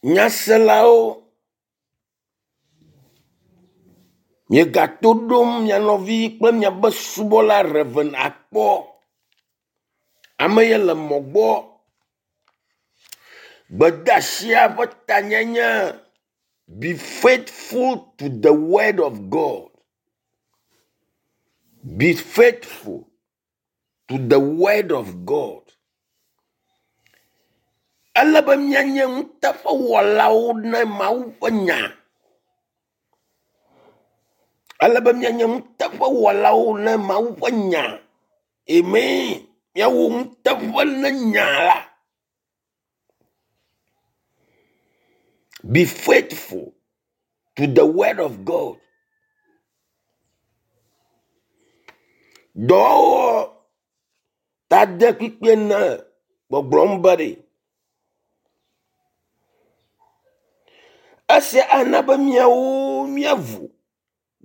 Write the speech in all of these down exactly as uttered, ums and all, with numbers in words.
Nyaselawo, miegato ɖom mia nɔvi kple miaƒe subɔla Rev. Akpɔ. Ame ye le mɔ gbɔ. Gbedeasia ƒe tanye nye be faithful to the word of God. Be faithful to the word of God. Ele be míanye nuteƒewɔlawo ne Mawu ƒe nya. Ele be míanye nuteƒewɔlawo ne Mawu ƒe nya. Amen. Míawɔ nuteƒe ne nya la. Be faithful to the word of God. Dɔwɔwɔ tade kpikpe ne gbɔgblɔm be ɖe. Esia ana be míawo míavu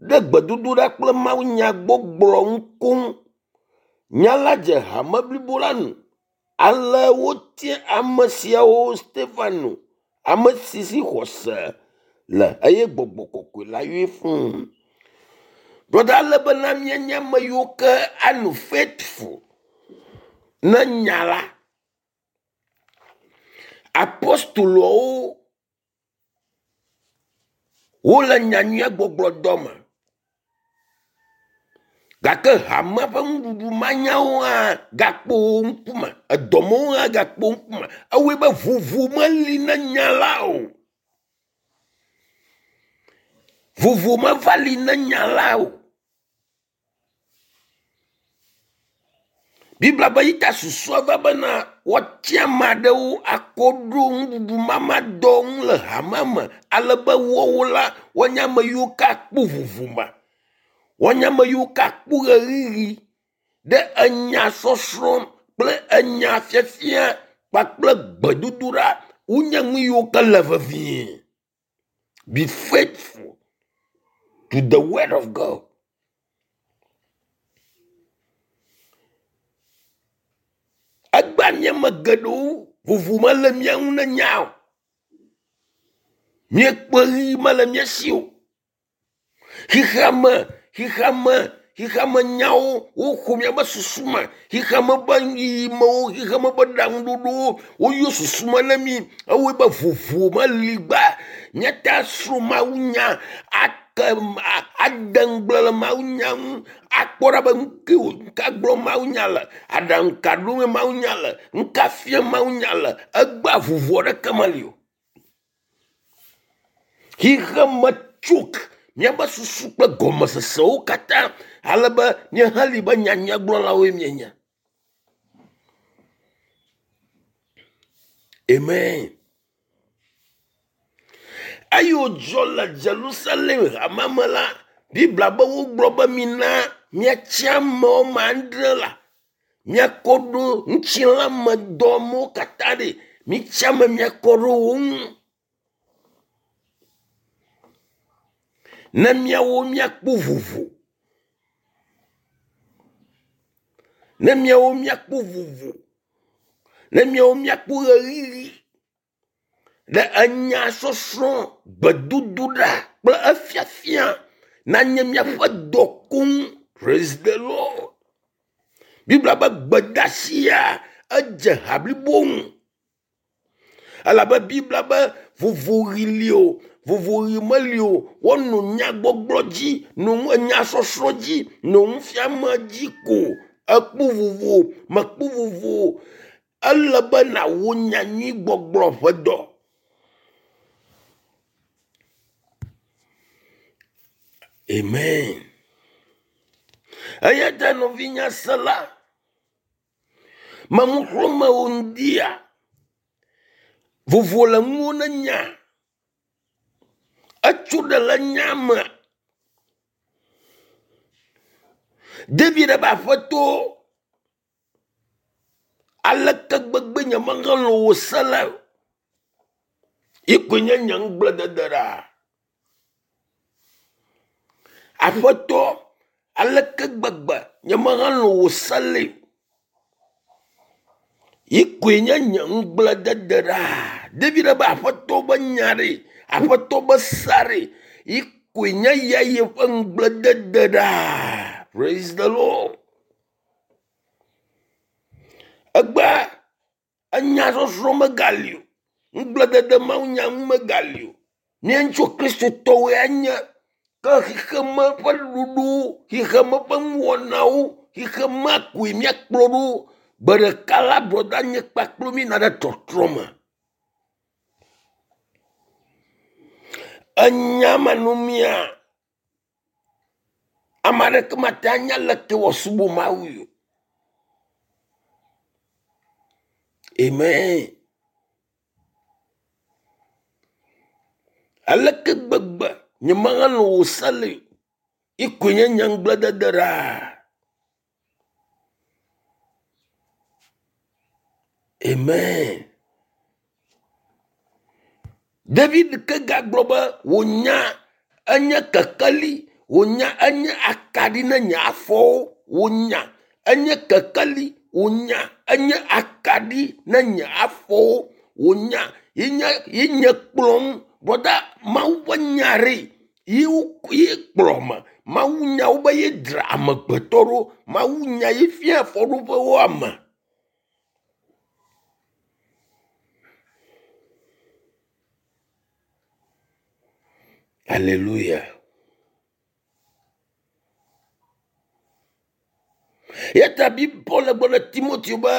ɖe gbedodoɖa kple mawunyagbɔgblɔ ŋu koŋ. Nya la dze hame blibo la nu. Ale wotia ame siawo Stefano, ame si si xɔse le eye gbɔgbɔ kɔkɔe la yɔe fũu. Brɔda ele bena míanye ame yiwo ke anɔ faithful ne nya la. Apostoloawo wole nyanyuia gbɔgblɔ dɔ me gake hamea ƒe nuɖuɖu manyawo hã gakpo wo ŋkume, edɔmewo hã gakpo wo ŋkume. Ewɔe be vovo meli ne nya la o. Vovo meva li ne nya la o. Biblia be yi ta susua va bena woatia ame aɖewo akɔ ɖo nuɖuɖu mama dɔ ŋu le hamea me ale be woawo la woanye ame yiwo ke akpɔ vovo me. Woanye ame yiwo ke akpɔ ɣeyiɣi ɖe enya sɔsrɔ̃ kple enya fiafia kpakple gbedodoɖa wonye nu yiwo ke le vevie. Be faithful to the word of God. Egbea míame geɖewo vovo mele mía ŋu ne nya o. Míekpe ɣi mele mía si o. Xexeame, xexeame, xexeame nyawo woxɔ míaƒe susu me. Xexeame ƒe yiyimewo, xexeame ƒe ɖaŋuɖoɖowo woyɔ susu me ne mí. Ewɔe be vovo meli gba. Míate asrɔ̃ mawunya ake ade ŋugble le mawunya ŋu akpɔ ɖa be nu ke nu ka gblɔm mawunya le, aɖaŋu ka ɖom mawunya le, nu ka fiam mawunya le. Egbea vovo aɖeke meli o. Xexeme tsok míaƒe susu kple gɔmesesewo katã ale be míeheli be nyanyuiegblɔlawoe míenye. Amen. Eye wòdzɔ le Jerusalem hamea me la, Biblia be wogblɔ be mina míatsi ame woame adre la, míakɔ ɖo ŋutilãmedɔmewo katã ɖi. Mitsi ame míakɔ ɖo wo ŋu. Ne míawo míakpɔ vovo. Ne míawo míakpɔ vovo. Ne míawo míakpɔ ɣeyiɣi ɖe enya sɔsrɔ̃, gbedodoɖa kple efiafia nanye míaƒe dɔ koŋ. Praise the Lord. Biblia be gbedeasia edze ha blibo ŋu. Elabe Biblia be vovoɣi li o, vovoɣi meli o. Woanɔ nyagbɔgblɔ dzi, nɔ enyasɔsrɔ̃ dzi, nɔ nufiame dzi ko. Ekpɔ vovo, mekpɔ vovo. Ele be nàwɔ nyanyuigbɔgblɔ ƒe dɔ. Amen. Eya ta nɔvinyasela, menuxlɔ̃me wo ŋdia, vovo le ŋuwò ne nya. Etso ɖe le nya me. David be aƒetɔ, aleke gbegbe nye mehelɔ̃ wò se la o. Yi koe nye nye ŋugbledede ɖaa. Aƒetɔ, aleke gbegbe nye mehelɔ̃ wò se lae. Yi koe nye nye ŋugbledede ɖaa. David be aƒetɔ be nya ɖe, aƒetɔ be sea ɖe, yi koe nye ya yeƒe ŋugbledede ɖaa. Praise the Lord. Egbea enyasɔsrɔ̃ megali o. Ŋugbledede mawunya ŋu megali o. Mía ŋutsu kristotɔwoe anye ke xexeme ƒe ɖoɖowo, xexeme ƒe nuwɔnawo, xexemea koe míakplɔ ɖo. Gbe ɖeka la brɔda nye kpakple míyina ɖe tɔtrɔ me. Enya manɔmea, ame aɖeke mate anya leke wòasubɔ Mawui o. Amen. Aleke gbegbe nyemehelɔ̃ wò se le o. Yi koe nye nye ŋugbledede ɖaa. Amen. David ke gagblɔ be wò nya enye kekeli, wò nya enye akaɖi na nye afɔwo, wò nya enye kekeli, wò nya enye akaɖi na nye afɔwo, wò nya ye nye ye nye kplɔm. Brɔda Mawu ƒe nya ɖe ye wo ye kplɔ me. Mawu nya wo be ye dzra amegbetɔ ɖo. Mawu nya ye fia afɔɖoƒewo ame. Alléluia. Eya ta Paul gblɔ na Timoteo be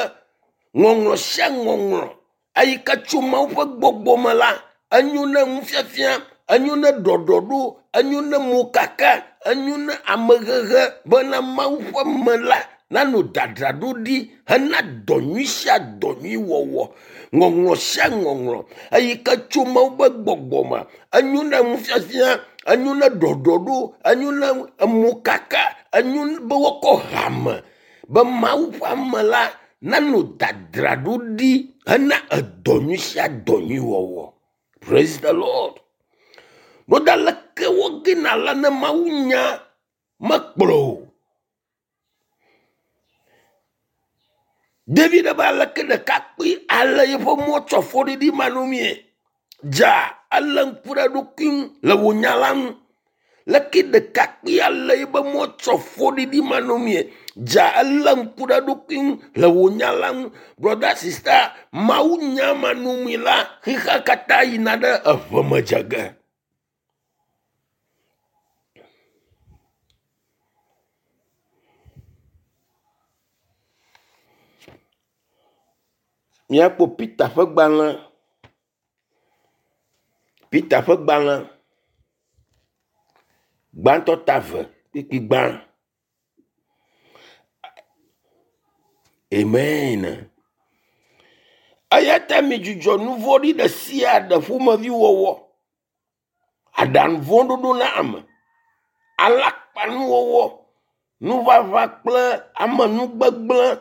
ŋɔŋlɔ sia ŋɔŋlɔ eyi ke tso Mawu ƒe gbɔgbɔ me la, enyo na nufiafia, enyo na ɖɔɖɔɖo, enyo na mokaka, enyo na amehehe bena Mawu ƒe me la nanɔ dzadzraɖo ɖi hena dɔ nyui sia dɔ nyui wɔwɔ. Ŋɔŋlɔ sia ŋɔŋlɔ eyi ke tso Mawu ƒe gbɔgbɔ me, enyo na nufiafia, enyo na ɖɔɖɔɖo, enyo na mokaka, enyo be woakɔ hame be Mawu ƒe ame la nanɔ dzadzraɖo ɖi hena edɔ nyui sia dɔ nyui wɔwɔ. Praise the Lord. Broda leke wogena la ne Mawu nya mekplɔ o. David be aleke ɖekakpui ale yeƒe mɔ tsɔ fɔɖiɖi manɔmee. Dza ele ŋku ɖe eɖokui ŋu le wò nya la ŋu. Leke ɖekakpui ale yeƒe mɔ tsɔ fɔɖiɖi manɔmee. Dza ele ŋku ɖe eɖokui ŋu le wò nya la ŋu. Brother, sister, Mawu nya manɔmee la, xexea katã yina ɖe eʋe me dze ge. Míakpɔ Peter ƒe gbalẽ. Peter ƒe gbalẽ gbãtɔ ta eve kpukpui gbã. Amen. Eya ta midzudzɔ nu vɔ̃ɖi ɖe sia ɖe ƒomevi wɔwɔ, aɖaŋu vɔ̃ ɖoɖo na ame, alakpanuwɔwɔ, nuʋaʋã kple amenugbegblẽ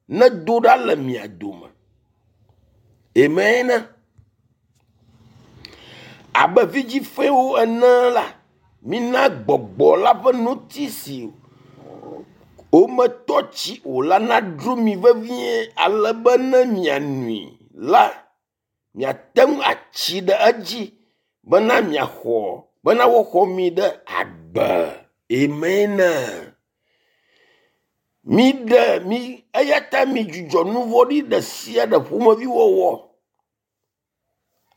nedo ɖa le mia dome. Amen. Abe vidzifewo ene la, mina gbɔgbɔ la ƒe noti si wometɔ tsi o la nadzro mi vevie ale be ne mianui la, miate ŋu atsi ɖe edzi bena miaxɔ bena woaxɔ mi ɖe agbe. Amen. Miɖe mi eya ta midzudzɔ nu vɔ̃ɖi ɖe sia ɖe ƒomevi wɔwɔ,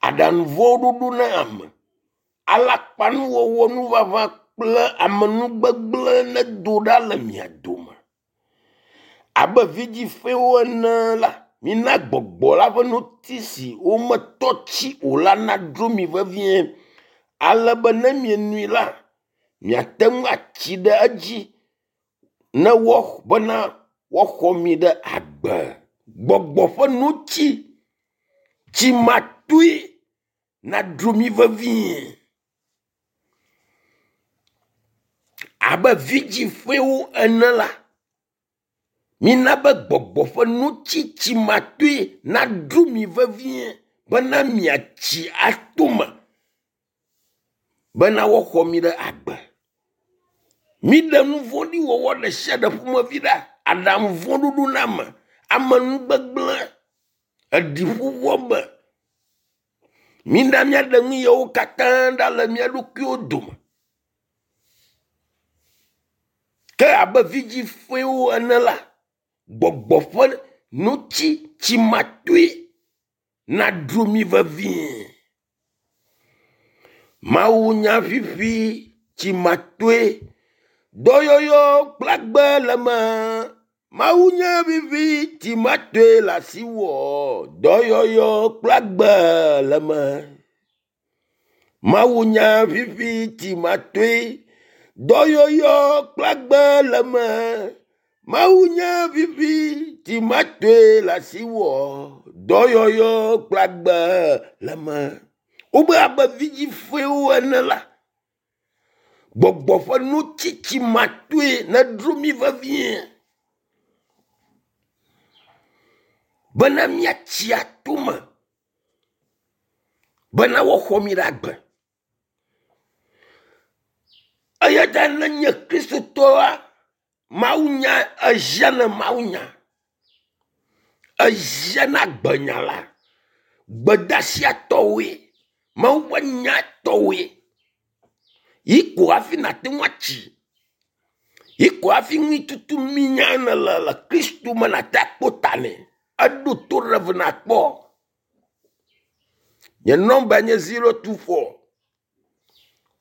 aɖaŋu vɔ̃ ɖoɖo na ame, alakpanuwɔwɔ, nuʋaʋã kple amenugbegblẽ nedo ɖa le mia dome. Abe vidzifewo ene la, mina gbɔgbɔ la ƒe noti si wometɔ tsi o la nadzro mi vevie ale be ne mienui la, miate ŋu atsi ɖe edzi ne woax- bena woaxɔ mi ɖe agbe. Gbɔgbɔ ƒe noti tsimatoe nadzro mi vevie. Abe vidzifewo ene la, mina be gbɔgbɔ ƒe noti tsimatoe nadzro mi vevie bena miatsi ato me bena woaxɔ mi ɖe agbe. Miɖe nu vɔ̃ɖi wɔwɔ ɖe sia ɖe ƒomevi ɖa, aɖaŋu vɔ̃ ɖoɖo na ame, amenugbegblẽ, eɖiƒoƒo me. Mina míaɖe nu yawo katã ɖa le mía ɖokuiwo dome. Ke abe vidzifɔewo ene la, gbɔgbɔ ƒe nutsi tsimatoe naɖu mi vevie. Mawunya vivi tsimatoe, dɔyɔyɔ kple agbe le eme. Mawunya vivi tsimatoe le asiwò, dɔyɔyɔ kple agbe le eme. Mawunya vivi tsimatoe, dɔyɔyɔ kple agbe le eme. Mawunya vivi tsimatoe le asiwò, dɔyɔyɔ kple agbe le eme. Wobe abe vidzifɔewo ene la, gbɔgbɔ ƒe nutsitsi matoe neɖo mi vevie bena míatsi atome bena woaxɔ mi ɖe agbe. Eya ta ne nye kristotɔa, mawunya ehiã mawunya. Ehiã na gbenya la. Gbedeasia tɔwoe. Mawu ƒe nya tɔwoe. Yi ko hafi nàte ŋu atsi. Yi ko hafi nu tutu minya nèle le Kristo me nàte akpɔ ta nɛ. Eɖo to ɖe ve nakpɔ. Nye nɔmba nye zero two four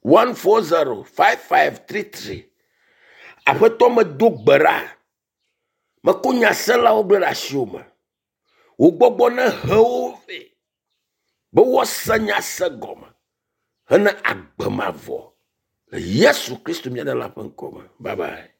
one four zero five five three three. Aƒetɔ medo gbe ɖa. Meko nyaselawo gblẽ ɖe asiwò me. Wò gbɔgbɔ nehe wo vɛ be woase nya se gɔme hena agbe mavɔ le Yesu Kristo mía Ɖela ƒe ŋkɔ me. Bye bye.